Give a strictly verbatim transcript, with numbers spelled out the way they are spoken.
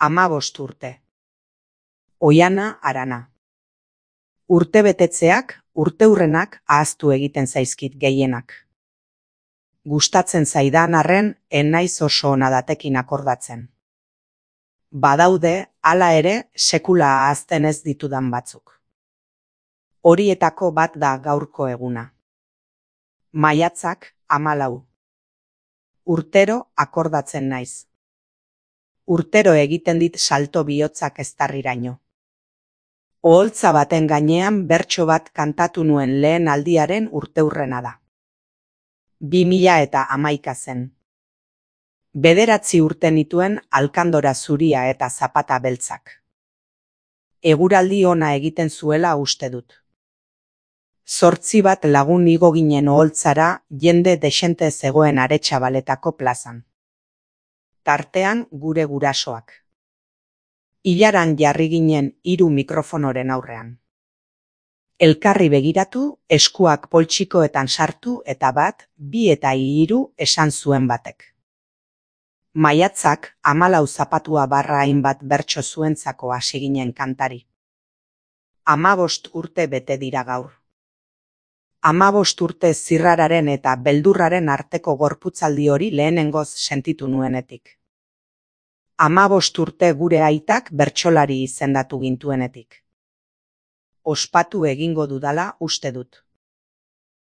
Hamabost urte. Oiana Arana. Urtebetetzeak, urteurrenak ahaztu egiten zaizkit gehienak. Gustatzen zaidan arren, ez naiz oso ona datekin akordatzen. Badaude, hala ere, sekula ahazten ez ditudan batzuk. Horietako bat da gaurko eguna. Maiatzak hamalau. Urtero akordatzen naiz. Urtero egiten dit salto bihotzak eztarriraino. Oholtza baten gainean bertso bat kantatu nuen lehen aldiaren urteurrena da. Bi mila eta hamaika zen. Bederatzi urte nituen alkandora zuria eta zapata beltzak. Eguraldi ona egiten zuela uste dut. Zortzi bat lagun igo ginen oholtzara jende dexente zegoen Aretxabaletako plazan. Tartean gure gurasoak. Ilaran jarri ginen hiru mikrofonoren aurrean. Elkarri begiratu, eskuak poltsikoetan sartu eta bat, bi eta hiru esan zuen batek. Maiatzak hamalau zapatua barra hainbat bertso zuentzako hasi ginen kantari. Hamabost urte bete dira gaur. Hamabost urte zirrararen eta beldurraren arteko gorputzaldi hori lehenengoz sentitu nuenetik. Hamabost urte gure aitak bertsolari izendatu gintuenetik. Ospatu egingo dudala uste dut.